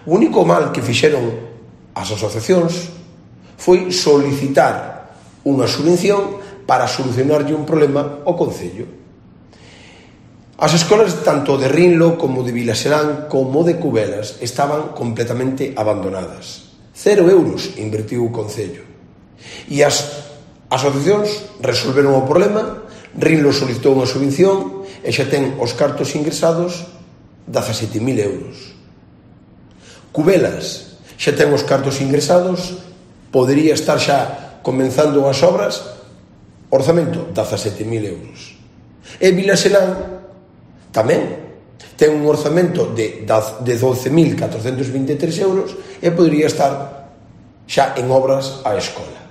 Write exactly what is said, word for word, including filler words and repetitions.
O único mal que fixeron as asociacións foi solicitar unha subvención para solucionarlle un problema ao Concello. As escolas tanto de Rinlo como de Vilaserán como de Cubelas estaban completamente abandonadas. Cero euros invertiu o Concello. E as asociacións resolveron o problema. Rinlo solicitou unha subvención e xa ten os cartos ingresados dezasete mil euros. Cubelas xa ten os cartos ingresados, podería estar xa comenzando as obras, orzamento dezasete mil euros. E Vilaserán tamén ten un orzamento de doce mil catrocentos vinte e tres euros e podería estar xa en obras a escola.